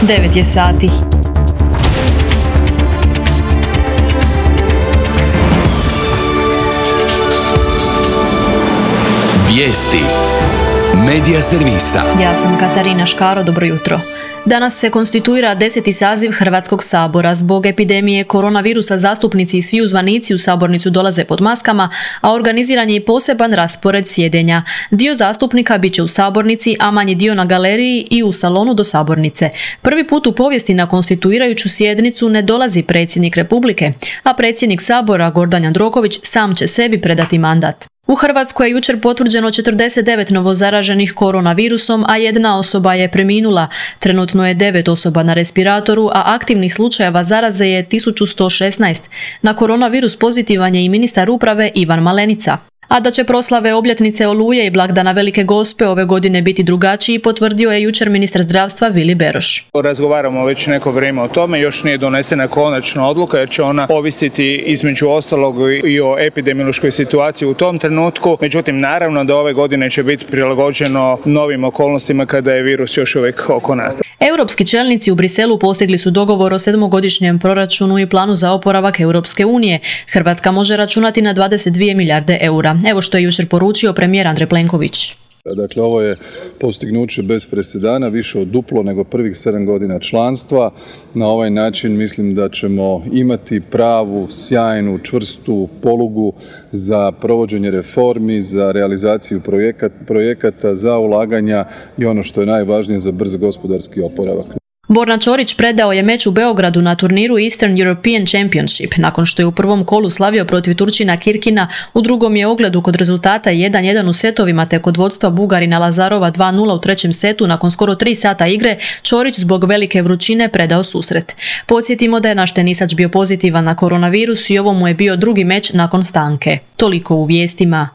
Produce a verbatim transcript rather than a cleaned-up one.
devet je sati. Vijesti Medija servisa. Ja sam Katarina Škaro, dobro jutro. Danas se konstituira deseti saziv Hrvatskog sabora. Zbog epidemije koronavirusa zastupnici i svi uzvanici u sabornicu dolaze pod maskama, a organiziran je i poseban raspored sjedenja. Dio zastupnika bit će u sabornici, a manji dio na galeriji i u salonu do sabornice. Prvi put u povijesti na konstituirajuću sjednicu ne dolazi predsjednik Republike, a predsjednik sabora Gordan Jandroković sam će sebi predati mandat. U Hrvatskoj je jučer potvrđeno četrdeset devet novozaraženih koronavirusom, a jedna osoba je preminula. Trenutno je devet osoba na respiratoru, a aktivnih slučajeva zaraze je tisuću sto šesnaest. Na koronavirus pozitivan je i ministar uprave Ivan Malenica. A da će proslave obljetnice Oluje i blagdana Velike Gospe ove godine biti drugačiji, potvrdio je jučer ministar zdravstva Vili Beroš. Razgovaramo već neko vrijeme o tome, još nije donesena konačna odluka jer će ona ovisiti između ostalog i o epidemiološkoj situaciji u tom trenutku. Međutim, naravno da ove godine će biti prilagođeno novim okolnostima kada je virus još uvijek oko nas. Europski čelnici u Briselu postigli su dogovor o sedmogodišnjem proračunu i planu za oporavak Europske unije. Hrvatska može računati na dvadeset dvije milijarde eura. Evo što je jučer poručio premijer Andrej Plenković. Dakle, ovo je postignuće bez presedana, više od duplo nego prvih sedam godina članstva. Na ovaj način mislim da ćemo imati pravu, sjajnu, čvrstu polugu za provođenje reformi, za realizaciju projekata, za ulaganja i ono što je najvažnije za brz gospodarski oporavak. Borna Ćorić predao je meč u Beogradu na turniru Eastern European Championship. Nakon što je u prvom kolu slavio protiv Turčina Kirkina, u drugom je ogledu kod rezultata jedan jedan u setovima te kod vodstva Bugarina Lazarova dva nula u trećem setu nakon skoro tri sata igre, Ćorić zbog velike vrućine predao susret. Podsjetimo da je naš tenisač bio pozitivan na koronavirus i ovo mu je bio drugi meč nakon stanke. Toliko u vijestima.